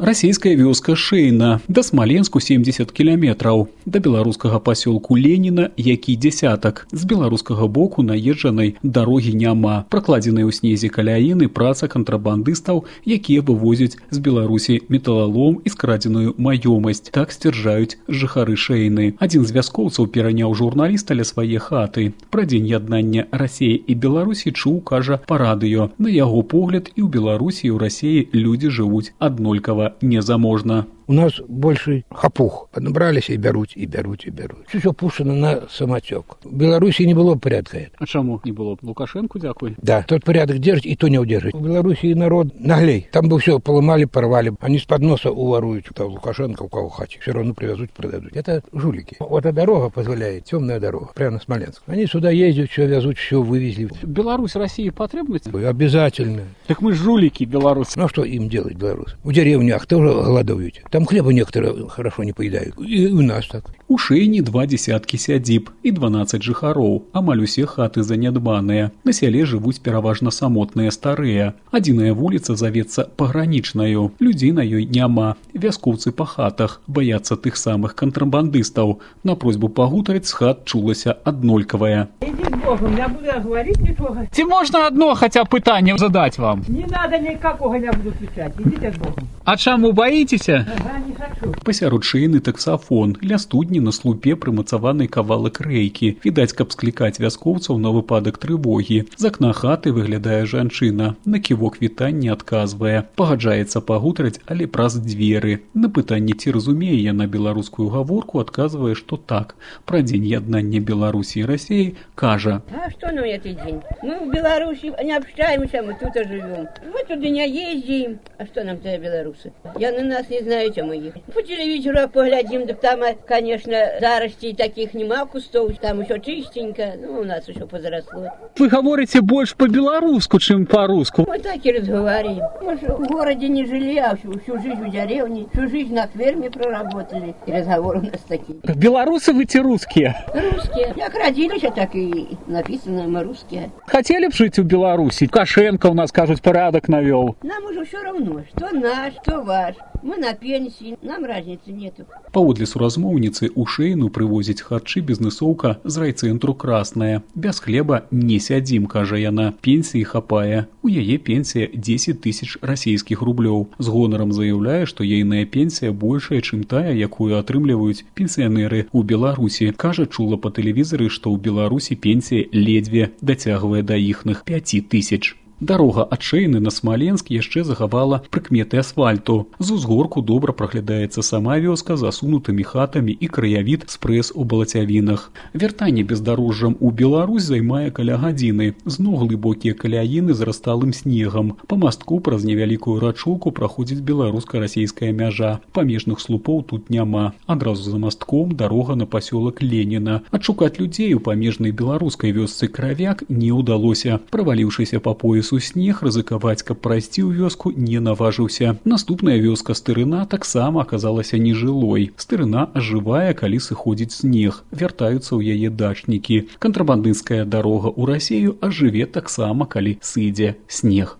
Расійская вёска Шэйна, да Смаленску 70 кіламетраў, да беларускага пасёлку Леніна, які дзясятак. З беларускага боку наезджанай дарогі няма. Пракладзеныя ў снезе каляіны праца кантрабандыстаў, якія вывозяць з Беларусі металалом і скрадзеную маёмасць. Так сцвярджаюць жыхары Шэйны. Адзін з вяскоўцаў пераняў журналіста ля свае хаты. Пра дзень яднання Расіі і Беларусі чуў, кажа, па радыё. На яго погляд, і ў Беларусі, і ў Расіі людзі жывуць аднолькава незаможна. У нас больше хапух. Поднабрались и берут, и берут, и берут. Все пущено на самотек. В Беларуси не было порядка. А чему не было? Лукашенко, дякую? Да, тот порядок держит, и то не удержит. В Беларуси народ наглей. Там бы все поломали, порвали. Они с подноса уворуют. Кто Лукашенко, у кого хате. Все равно привезут, продадут. Это жулики. Вот эта дорога позволяет, темная дорога, прямо на Смоленск. Они сюда ездят, все везут, все вывезли. Беларусь, Россия потребность? Обязательно. Так мы жулики, белорусы. Ну, а что им делать, белорусы? В деревнях тоже голодуют. Там хлеба некоторые хорошо не поедают. И у нас так. У Шэйні 20 сядзіб і 12 жыхароў. Амаль усе хаты занядбаныя. На сяле жывуць пераважна самотныя старыя. Адзіная вуліца завецца пагранічнаю. Людзей на ёй няма. Вяскоўцы па хатах баяцца тых самых кантрабандыстаў. На просьбу пагутарыць з хат чулася аднолькавая. Идите с Богом, я буду говорить ничего. Ці можна одно хотя пытанне задать вам? Не надо никакого, я буду отвечать. Идите с Богом. А чаму баіцеся? Ага, не хочу. Пасярод Шэйны таксафон. Ля студні на слупе прымацаваны кавалак рэйкі. Відаць, каб склікаць вяскоўцаў на выпадак трывогі. З акна хаты выглядае жанчына. На ківок вітанне адказвае. Пагаджаецца пагутарыць, але праз дзверы. На пытанне, ці разумее яна беларускую гаворку, адказвае, што так. Пра дзень яднання Беларусі і Расіі кажа. А что нам этот день? Мы в Беларуси не общаемся, мы тут и живем. Мы туда не ездим. А что нам тогда белорусы? Я на нас не знаю, чем мы их. По телевизору поглядим, да там, конечно, заростей таких нема кустов, там еще чистенько, ну, у нас еще позаросло. Вы говорите больше по-белорусски, чем по-русски. Мы так и разговариваем. Мы же в городе не жили, а всю жизнь в деревне, всю жизнь на ферме проработали. И разговоры у нас такие. Белорусы вы те русские? Русские. Как родились, так и написано, мы русские. Хотели бы жить в Беларуси? Лукашенко у нас, кажуть, порядок навел. Нам уже все равно, что наш, что ваш. Мы на пенсии, нам разницы нету. Паводле суразмоўніцы у Шэйну прывозіць харчы бізнэсоўка з райцэнтру Красная. Без хлеба не сядзім, кажа яна. Пенсіі хапае. У яе пенсія 10 000 расійскіх рублёў. З гонарам заяўляе, што ейная пенсія большая, чым тая, якую атрымліваюць пенсіянеры ў Беларусі. Кажа, чула па тэлевізары, што ў Беларусі пенсія ледзьве дацягвае да іхных 5 000. Дарога ад Шэйны на Смаленск яшчэ захавала прыкметы асфальту. З узгорку добра праглядаецца сама вёска з асунутымі хатамі і краявід спрэс у балацявінах. Вяртанне бездарожжам у Беларусь займае каля гадзіны. Зноў глыбокія каляіны з расталым снегам. Па мастку праз невялікую рачулку праходзіць беларуска-расійская мяжа. Памежных слупоў тут няма. Адразу за мастком дарога на пасёлак Леніна. Адшукаць людзей у памежнай беларускай вёсцы Кравяк не ўдалося. Праваліўшыся па пояс у снег, рызыкаваць, каб прайсці ў вёску, не наважыўся. Наступная вёска Стырына таксама аказалася нежылой. Стырына ажывае, калі сыходзіць снег. Вяртаюцца ў яе дачнікі. Кантрабандысцкая дарога ў Расію ажыве таксама, калі сыдзе снег.